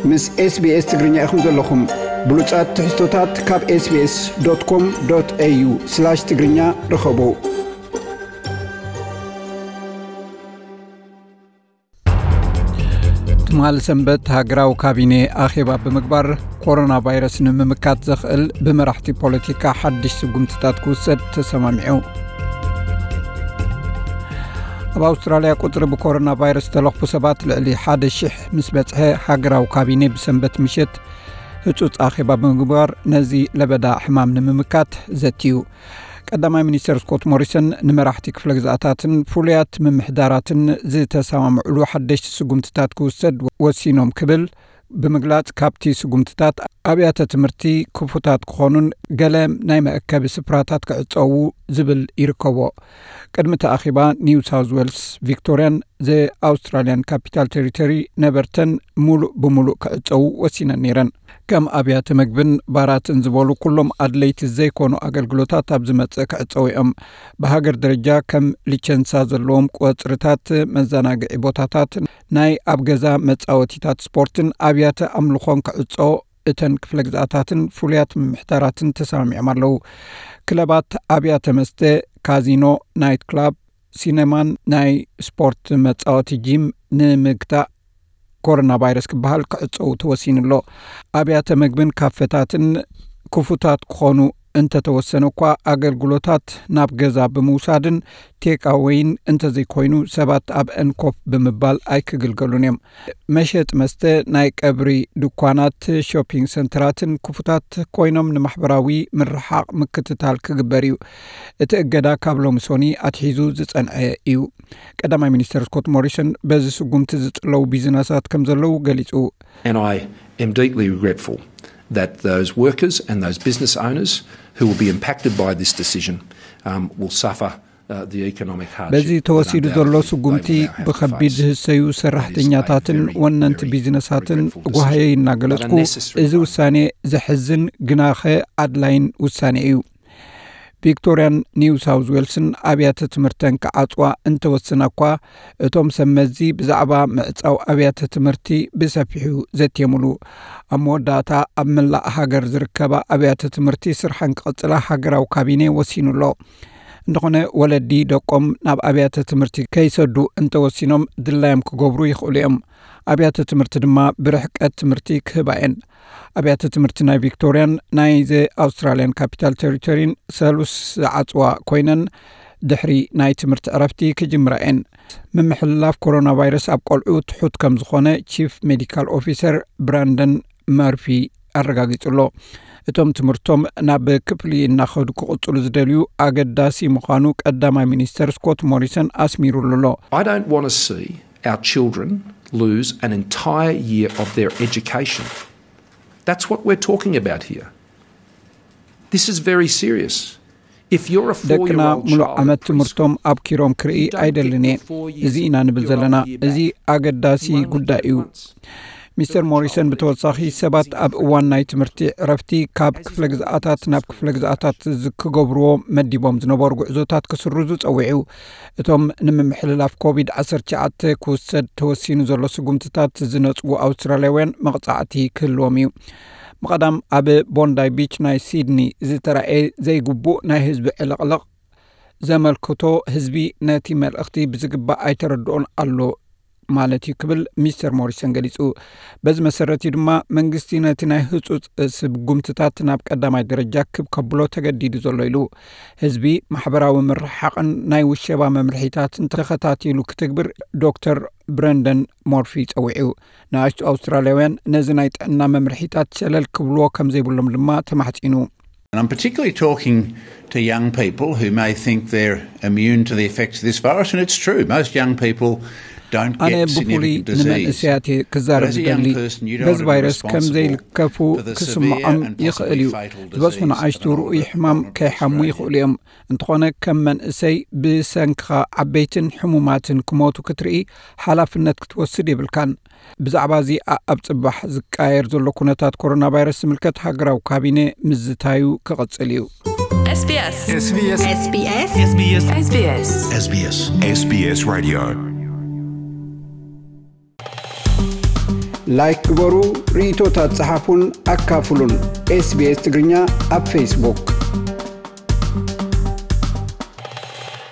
ምስ SBS ትግርኛ ኢኹም ዘለኹም። ብሉጻት ትሕዝቶታት ካብ SBS.com.au/ትግርኛ ርኸቡ። ትማሊ ሰንበት ሃገራዊ ካቢኔ ኣኼባ ብምግባር፣ ኮሮና ቫይረስ ንምምካት ዘኽእል ብመራሕቲ ፖለቲካ ሓድሽ ስጉምትታት ክውሰድ ተሰማሚዑ። ኣብ ኣውስትራልያ ቁጽሪ ብኮሮና ቫይረስ ዝተለኽፉ ሰባት ልዕሊ ሓደ ሽሕ ምስ በጽሐ፣ ሃገራዊ ካቢኔ ብሰንበት ምሸት ህጹጽ ኣኼባ ብምግባር፣ ነዚ ለበዳ ሕማም ንምምካት ዘትዩ። ቀዳማይ ሚኒስተር ስኮት ሞሪሰን ንመራሕቲ ክፍለ ግዝኣታትን ፍሉያት ምምሕዳራትን ዝተሰማምዕሉ ሓደሽቲ ስጉምትታት ክውሰድ ወሲኖም ክብል ብምግላጽ፣ ካብቲ ስጉምትታት ኣብያተ ትምህርቲ ክፉታት ክኾኑን ገለ ናይ መእከቢ ስፍራታት ክዕጸዉ ዝብል ይርከቦ። ቅድሚ እቲ ኣኼባ፣ ኒው ሳውዝ ዌልስ፣ ቪክቶሪያን ዘ ኣውስትራልያን ካፒታል ቴሪቶሪ ነበርተን ሙሉእ ብሙሉእ ክዕጸዉ ወሲነን ነይረን። ከም ኣብያተ መግብን ባራትን ዝበሉ ኩሎም ኣድለይቲ ዘይኮኑ ኣገልግሎታት ኣብ ዝመጽእ ክዕጸዉ እዮም። ብሃገር ደረጃ ከም ሊቸንሳ ዘለዎም ቆጽርታት፣ መዘናግዒ ቦታታት፣ ናይ ኣብ ገዛ መጻወቲታት ስፖርትን ኣብያተ ኣምልኾን ክዕጸዎ እተን ክፍለ ግዝኣታትን ፍሉያት ምምሕዳራትን ተሰማሚዖም ኣለዉ። ክለባት፣ ኣብያተ መስተ፣ ካዚኖ፣ ናይት ክላብ፣ ሲነማን ናይ ስፖርት መጻወቲ ጂም ንምግታእ ኮሮና ቫይረስ ክበሃል ክዕጸዉ ተወሲኑ ኣሎ። ኣብያተ መግብን ካፈታትን ክፉታት ክኾኑ እንተተወሰነ እኳ፣ ኣገልግሎታት ናብ ገዛ ብምውሳድን ቴካወይን እንተዘይኮይኑ ሰባት ኣብአን ኮፍ ብምባል ኣይክግልገሉን እዮም። መሸጢ መስተ፣ ናይ ቀብሪ ድኳናት፣ ሾፒንግ ሰንተራትን ክፉታት ኮይኖም ንማሕበራዊ ምርሓቕ ምክትታል ክግበር እዩ። እቲ እገዳ ካብ ሎሚ ሶኒ ኣትሒዙ ዝጸንዐ እዩ። ቀዳማይ ሚኒስተር ስኮት ሞሪሰን በዚ ስጉምቲ ዝጽለዉ ቢዝነሳት ከም ዘለዉ ገሊጹ። And I am deeply regretful that those workers and those business owners who will be impacted by this decision, um, will suffer, uh, the economic hardship. በዚ ተወሲዱ ዘሎ ስጉምቲ ብኸቢድ ዝህሰዩ ሰራሕተኛታትን ወነንቲ ቢዝነሳትን ጓህየይ እናገለጽኩ፣ እዚ ውሳኔ ዘሕዝን ግናኸ ኣድላይን ውሳኔ እዩ። ቪክቶሪያን ኒው ሳውዝ ዌልስን ኣብያተ ትምህርተን ክዓጽዋ እንተወስና እኳ፣ እቶም ሰብ መዚ ብዛዕባ ምዕጻው ኣብያተ ትምህርቲ ብሰፊሑ ዘትየሙሉ። ኣብ መወዳእታ፣ ኣብ መላእ ሃገር ዝርከባ ኣብያተ ትምህርቲ ስርሐን ክቕጽላ ሃገራዊ ካቢኔ ወሲኑ ኣሎ። እንተኾነ፣ ወለዲ ደቆም ናብ ኣብያተ ትምህርቲ ከይሰዱ እንተወሲኖም፣ ድላዮም ክገብሩ ይኽእሉ እዮም። ኣብያተ ትምህርቲ ድማ ብርሕቀት ትምህርቲ ክህባ እየን። ኣብያተ ትምህርቲ ናይ ቪክቶሪያን ናይ ዘ ኣውስትራልያን ካፒታል ቴሪቶሪን ሰሉስ ዝዓጽዋ ኮይነን፣ ድሕሪ ናይ ትምህርቲ ዕረፍቲ ክጅምራ እየን። ምምሕልላፍ ኮሮና ቫይረስ ኣብ ቆልዑ ትሑት ከም ዝኾነ ቺፍ ሜዲካል ኦፊሰር ብራንደን መርፊ ኣረጋጊጹ ኣሎ። እቶም ትምህርቶም ናብ ክፍሊ እናኸዱ ክቕጽሉ ዝደልዩ ኣገዳሲ ምዃኑ ቀዳማይ ሚኒስተር ስኮት ሞሪሰን ኣስሚሩሉ ኣሎ። I don't want to see our children lose an entire year of their education. That's what we're talking about here. This is very serious. If you're a ደቅና four-year-old ሙሉእ child ዓመት at preschool, ትምህርቶም ኣብኪሮም ክርኢ you don't get ኣይደልን እየ። Your four years እዚ ኢና ንብል ዘለና። Of being እዚ back. ኣገዳሲ You only ጉዳይ get እዩ። Once. Mister Morrison ብተወሳኺ ሰባት ኣብ እዋን ናይ ትምህርቲ ዕረፍቲ ካብ ክፍለ ግዝኣታት ናብ ክፍለ ግዝኣታት ዝ-፣ ክገብርዎ መዲቦም ዝነበሩ ጉዕዞታት ክስርዙ ጸዊዑ። እቶም ንምምሕልላፍ ኮቪድ ዓሰርተ ትሽዓተ ክውሰድ ተወሲኑ ዘሎ ስጉምትታት ዝነጽጉ ኣውስትራልያውያን መቕጻዕቲ ክህልዎም እዩ። ብቐዳም ኣብ ቦንዳይ ቢች ናይ ሲድኒ ዝተራእየ ዘይግቡእ ናይ ህዝቢ ዕልቕልቕ ዘመልክቶ ህዝቢ ነቲ መልእኽቲ ብዝግባእ ኣይተረድኦን ኣሎ ማለት እዩ ክብል ሚስተር ሞሪሰን ገሊጹ። በዚ መሰረት እዩ ድማ መንግስቲ ነቲ ናይ ህጹጽ ስጉምትታት ናብ ቀዳማይ ደረጃ ክብ ከብሎ ተገዲዱ ዘሎ ኢሉ። ህዝቢ ማሕበራዊ ምርሕሓቕን ናይ ውሸባ መምርሒታትን ተኸታቲሉ ክትግብር ዶክተር ብረንደን ሞርፊ ጸዊዑ። ንኣሽቱ ኣውስትራልያውያን ነዚ ናይ ጥዕና መምርሒታት ሸለል ክብልዎ ከም ዘይብሎም ድማ ተማሕጺኑ። And I'm particularly talking to young people who may think they're immune to the effects of this virus, and it's true. Most young people don't ኣነ get ብፍሉይ significant disease. ንመንእሰያት እየ ክዛረብ But as a young ዝደሊ። person, you don't በዚ want to be ቫይረስ ከም responsible ዘይልከፉ for the ክስምዖም severe and ይኽእል possibly እዩ። fatal ዝበዝሑ disease ንኣሽቱ of an ርኡይ older ሕማም vulnerable ከይሓሙ Australian. ይኽእሉ እዮም። እንተኾነ ከም መንእሰይ ብሰንክኻ ዓበይትን ሕሙማትን ክሞቱ ክትርኢ ሓላፍነት ክትወስድ የብልካን። ብዛዕባ እዚ ኣ-፣ ኣብ ጽባሕ ዝቃየር ዘሎ ኩነታት ኮሮና ቫይረስ ዝምልከት ሃገራዊ ካቢነ ምዝታዩ ክቕጽል እዩ። SBS SBS SBS SBS SBS SBS Radio. ላይክ ግበሩ፣ ርእይቶታት ጸሓፉን ኣካፍሉን። ኤስቢኤስ ትግርኛ ኣብ ፌስቡክ።